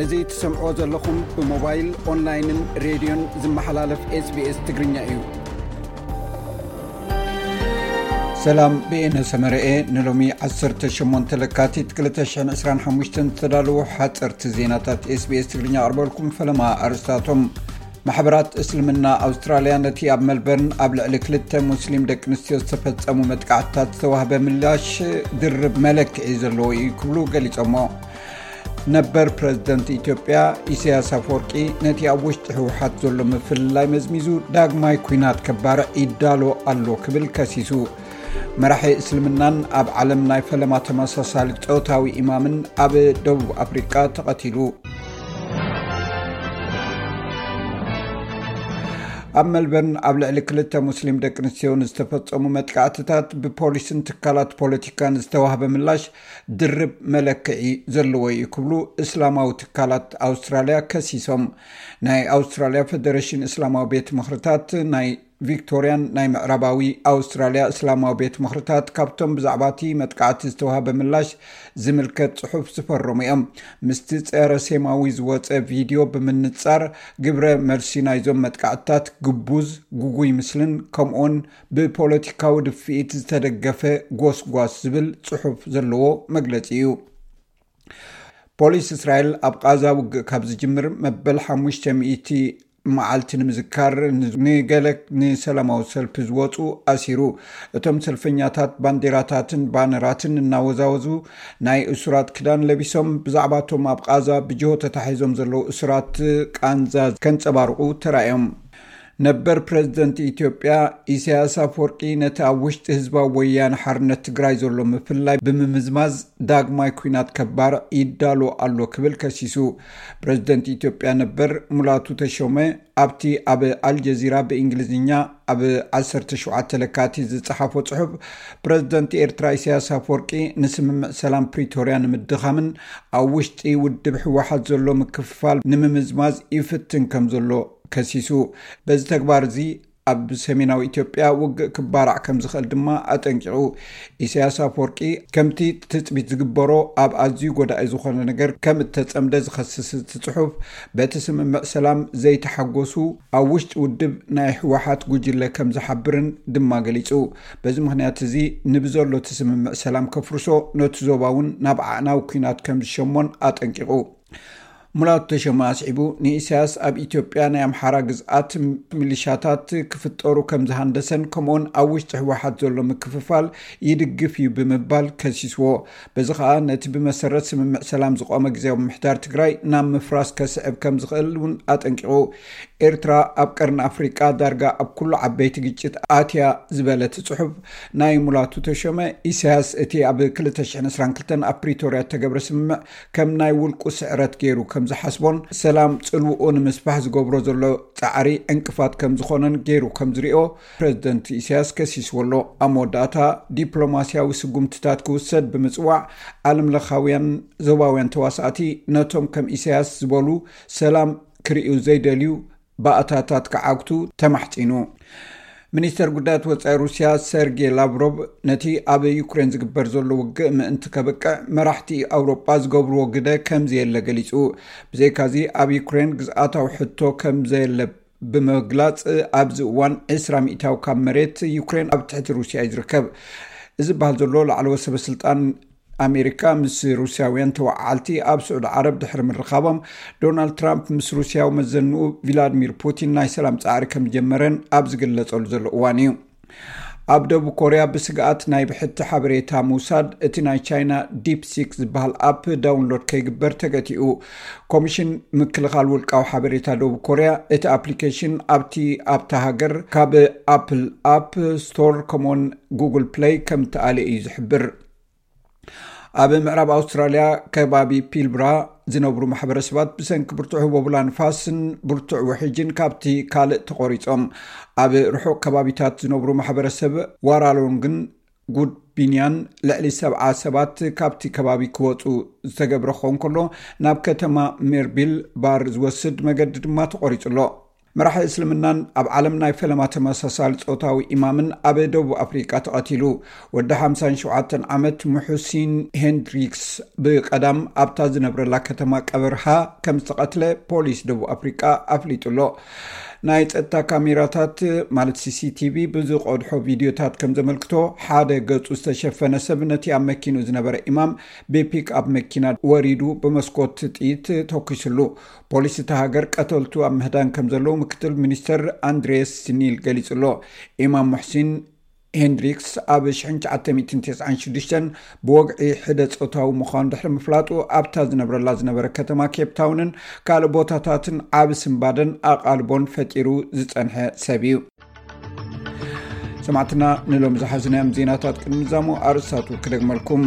እዚ ትሰምዕዎ ዘለኹም ብሞባይል፣ ኦንላይንን ሬድዮን ዝመሓላለፍ ኤስቢኤስ ትግርኛ እዩ። ሰላም፣ ብኤነ ሰመረኤ። ንሎሚ ዓሰርተ ሸሞንተ ለካቲት ክልተ ሽሕን ዕስራን ሓሙሽተን ዝተዳለዉ ሓፀርቲ ዜናታት ኤስቢኤስ ትግርኛ ኣቕርበልኩም። ፈለማ ኣርስታቶም። ማሕበራት እስልምና ኣውስትራልያ ነቲ ኣብ መልበርን ኣብ ልዕሊ ክልተ ሙስሊም ደቂ ኣንስትዮ ዝተፈጸሙ መጥቃዕትታት ዝተዋህበ ምላሽ ድርብ መለክዒ ዘለዎ እዩ ክብሉ ገሊጾሞ። ነበር ፕረዚደንት ኢትዮጵያ ኢሳያስ ኣፈወርቂ ነቲ ኣብ ውሽጢ ህወሓት ዘሎ ምፍልላይ መዝሚዙ ዳግማይ ኲናት ከባርዕ ይዳሎ ኣሎ ክብል ከሲሱ። መራሒ እስልምናን ኣብ ዓለም ናይ ፈለማ ተመሳሳሊ ጾታዊ ኢማምን ኣብ ደቡብ ኣፍሪቃ ተቐቲሉ። ኣብ መልበርን ኣብ ልዕሊ ክልተ ሙስሊም ደቂ ኣንስትዮ ንዝተፈጸሙ መጥቃዕትታት ብፖሊስን ትካላት ፖለቲካን ዝተዋህበ ምላሽ ድርብ መለክዒ ዘለዎ እዩ ክብሉ እስላማዊ ትካላት ኣውስትራልያ ከሲሶም። ናይ ኣውስትራልያ ፌደሬሽን እስላማዊ ቤት ምኽርታት ናይ ቪክቶርያን ናይ ምዕራባዊ ኣውስትራልያ እስላማዊ ቤት ምኽርታት ካብቶም ብዛዕባ እቲ መጥቃዕቲ ዝተዋህበ ምላሽ ዝምልከት ጽሑፍ ዝፈረሙ እዮም። ምስቲ ጸረ ሴማዊ ዝወጸ ቪድዮ ብምንጻር፣ ግብረ መልሲ ናይዞም መጥቃዕትታት ግቡዝ፣ ጉጉይ ምስልን ከምኡውን ብፖለቲካዊ ድፍኢት ዝተደገፈ ጎስጓስ ዝብል ጽሑፍ ዘለዎ መግለጺ እዩ። ፖሊስ እስራኤል ኣብ ቃዛ ውግእ ካብ ዝጅምር መበል ሓሙሽተ ሚእቲ መዓልቲ ንምዝካር፣ ንገለ ንሰላማዊ ሰልፊ ዝወጹ ኣሲሩ። እቶም ሰልፈኛታት ባንዴራታትን ባነራትን እናወዛወዙ፣ ናይ እሱራት ክዳን ለቢሶም፣ ብዛዕባቶም ኣብ ቃዛ ብጅሆ ተታሒዞም ዘለዉ እሱራት ቃንዛ ከንጸባርቑ ተራእዮም። ነበር ፕረዚደንት ኢትዮጵያ ኢሳያስ ኣፈወርቂ ነቲ ኣብ ውሽጢ ህዝባዊ ወያነ ሓርነት ትግራይ ዘሎ ምፍልላይ ብምምዝማዝ ዳግማይ ኲናት ከባርዕ ይዳሎ ኣሎ ክብል ከሲሱ። ፕረዚደንት ኢትዮጵያ ነበር ሙላቱ ተሾመ ኣብቲ ኣብ ኣልጀዚራ ብእንግሊዝኛ ኣብ ዓሰርተ ሸውዓተ ለካቲት ዝጸሓፎ ጽሑፍ፣ ፕረዚደንት ኤርትራ ኢሳያስ ኣፈወርቂ ንስምምዕ ሰላም ፕሪቶርያ ንምድኻምን ኣብ ውሽጢ ውድብ ህወሓት ዘሎ ምክፍፋል ንምምዝማዝ ይፍትን ከም ዘሎ ከሲሱ። በዚ ተግባር እዚ ኣብ ሰሜናዊ ኢትዮጵያ ውግእ ክባራዕ ከም ዝኽእል ድማ ኣጠንቂቑ። ኢሳያስ ኣፈወርቂ ከምቲ ትጽቢት ዝግበሮ ኣብ ኣዝዩ ጎዳኢ ዝኾነ ነገር ከም እተጸምደ ዝኸስስ እቲ ጽሑፍ፣ በቲ ስምምዕ ሰላም ዘይተሓጎሱ ኣብ ውሽጢ ውድብ ናይ ህወሓት ጉጅለ ከም ዝሓብርን ድማ ገሊጹ። በዚ ምኽንያት እዚ ንብዘሎ እቲ ስምምዕ ሰላም ከፍርሶ፣ ነቲ ዞባ እውን ናብ ኣዕናዊ ኲናት ከም ዝሸሞን ኣጠንቂቑ። ሙላቱ ተሾመ ኣስዒቡ፣ ንኢሳያስ ኣብ ኢትዮጵያ ናይ ኣምሓራ ግዝኣት ሚሊሻታት ክፍጠሩ ከም ዝሃንደሰን ከምኡውን ኣብ ውሽጢ ህወሓት ዘሎ ምክፍፋል ይድግፍ እዩ ብምባል ከሲስዎ። በዚ ኸኣ ነቲ ብመሰረት ስምምዕ ሰላም ዝቖመ ግዝያዊ ምምሕዳር ትግራይ ናብ ምፍራስ ከስዕብ ከም ዝኽእል እውን ኣጠንቂቑ። ኤርትራ ኣብ ቀርኒ ኣፍሪቃ ዳርጋ ኣብ ኩሉ ዓበይቲ ግጭት ኣትያ ዝበለ እቲ ጽሑፍ ናይ ሙላቱ ተሾመ፣ ኢሳያስ እቲ ኣብ ክልተ ሽሕን ዕስራን ክልተን ኣብ ፕሪቶርያ እተገብረ ስምምዕ ከም ናይ ውልቁ ስዕረት ገይሩ ከም ዝሓስቦን ሰላም ጽልውኡ ንምስፋሕ ዝገብሮ ዘሎ ጻዕሪ ዕንቅፋት ከም ዝኾነን ገይሩ ከም ዝሪኦ ፕረዚደንት ኢሳያስ ከሲስዎ ኣሎ። ኣብ መወዳእታ ዲፕሎማስያዊ ስጉምትታት ክውሰድ ብምጽዋዕ፣ ዓለምለኻውያን ዞባውያን ተዋሳእቲ ነቶም ከም ኢሳያስ ዝበሉ ሰላም ክርእዩ ዘይደልዩ ባእታታት ክዓግቱ ተማሕጺኑ። ሚኒስተር ጉዳያት ወጻኢ ሩስያ ሰርጌ ላቭሮቭ ነቲ ኣብ ዩክሬን ዝግበር ዘሎ ውግእ ምእንቲ ከብቅዕ መራሕቲ ኣውሮጳ ዝገብርዎ ግደ ከም ዘየለ ገሊጹ። ብዘይካዚ ኣብ ዩክሬን ግዝኣታዊ ሕቶ ከም ዘየለ ብምግላጽ፣ ኣብዚ እዋን ዕስራ ሚእታዊ ካብ መሬት ዩክሬን ኣብ ትሕቲ ሩስያ እዩ ዝርከብ። እዚ በሃል ዘሎ ላዕለዎት ሰበ ስልጣን ኣሜሪካ ምስ ሩስያውያን ተወዓዓልቲ ኣብ ስዑዲ ዓረብ ድሕሪ ምርኻቦም፣ ዶናልድ ትራምፕ ምስ ሩስያዊ መዘንኡ ቪላድሚር ፑቲን ናይ ሰላም ጻዕሪ ከም ዝጀመረን ኣብ ዝግለጸሉ ዘሎ እዋን እዩ። ኣብ ደቡብ ኮርያ ብስግኣት ናይ ብሕቲ ሓበሬታ ምውሳድ እቲ ናይ ቻይና ዲፕሲክ ዝበሃል ኣፕ ዳውንሎድ ከይግበር ተገቲኡ። ኮሚሽን ምክልኻል ውልቃዊ ሓበሬታ ደቡብ ኮርያ እቲ ኣፕሊኬሽን ኣብቲ ኣብታ ሃገር ካብ ኣፕል ኣፕ ስቶር ከምኡውን ጉግል ፕሌይ ከም እተኣልየ እዩ ዝሕብር። ኣብ ምዕራብ ኣውስትራልያ ከባቢ ፒልብራ ዝነብሩ ማሕበረሰባት ብሰንኪ ብርቱዕ ህቦብላ ንፋስን ብርቱዕ ውሕጅን ካብቲ ካልእ ተቖሪጾም። ኣብ ርሑቕ ከባቢታት ዝነብሩ ማሕበረሰብ ዋራሎንግን ጉድቢንያን ልዕሊ ሰብዓ ሰባት ካብቲ ከባቢ ክወጹ ዝተገብረ ክኸውን ከሎ፣ ናብ ከተማ ሜርቢል ባር ዝወስድ መገዲ ድማ ተቖሪጹ ኣሎ። መራሒ እስልምናን ኣብ ዓለም ናይ ፈለማ ተመሳሳሊ ጾታዊ ኢማምን ኣብ ደቡብ ኣፍሪቃ ተቐቲሉ። ወዲ ሓምሳን ሸውዓተን ዓመት ሙሑሲን ሄንድሪክስ ብቐዳም ኣብታ ዝነብረላ ከተማ ቀበርሃ ከም ዝተቐትለ ፖሊስ ደቡብ ኣፍሪቃ ኣፍሊጡ ኣሎ። ናይ ጸጥታ ካሜራታት ማለት ሲሲቲቪ ብዝቐድሖ ቪድዮታት ከም ዘመልክቶ፣ ሓደ ገጹ ዝተሸፈነ ሰብ ነቲ ኣብ መኪኑ ዝነበረ ኢማም ብፒክ ኣብ መኪና ወሪዱ ብመስኮት ጥይት ተኩስሉ። ፖሊስ እታ ሃገር ቀተልቱ ኣብ ምህዳን ከም ዘለዉ ምክትል ሚኒስተር ኣንድሬስ ኒል ገሊጹ ኣሎ። ኢማም ሙሕሲን ሄንድሪክስ ኣብ ሽሕን ትሽዓተ ሚእትን ተስዓን ሽዱሽተን ብወግዒ ሕደ ጾታዊ ምዃኑ ድሕሪ ምፍላጡ ኣብታ ዝነብረላ ዝነበረ ከተማ ኬፕ ታውንን ካልእ ቦታታትን ዓቢ ስንባደን ኣቓልቦን ፈጢሩ ዝጸንሐ ሰብ እዩ። ሰማዕትና ንሎም ዝሓዝናዮም ዜናታት ቅድሚ ዛሙ ኣርእስታቱ ክደግመልኩም።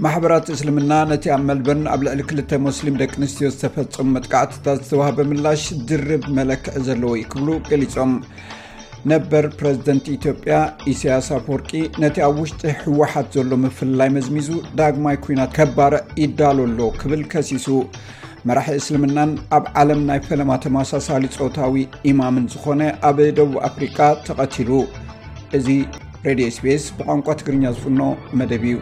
ማሕበራት እስልምና ነቲ ኣብ መልበርን ኣብ ልዕሊ ክልተ ሙስሊም ደቂ ኣንስትዮ ዝተፈጸሙ መጥቃዕትታት ዝተዋህበ ምላሽ ድርብ መለክዒ ዘለዎ እዩ ክብሉ ገሊጾም። ነበር ፕረዚደንት ኢትዮጵያ ኢሳያስ ኣፈወርቂ ነቲ ኣብ ውሽጢ ህወሓት ዘሎ ምፍልላይ መዝሚዙ ዳግማይ ኲናት ከባርዕ ይዳሎ ኣሎ ክብል ከሲሱ። መራሒ እስልምናን ኣብ ዓለም ናይ ፈለማ ተመሳሳሊ ጾታዊ ኢማምን ዝኾነ ኣብ ደቡብ ኣፍሪቃ ተቐቲሉ። እዚ ሬድዮ ኤስቢኤስ ብቋንቋ ትግርኛ ዝፍኖ መደብ እዩ።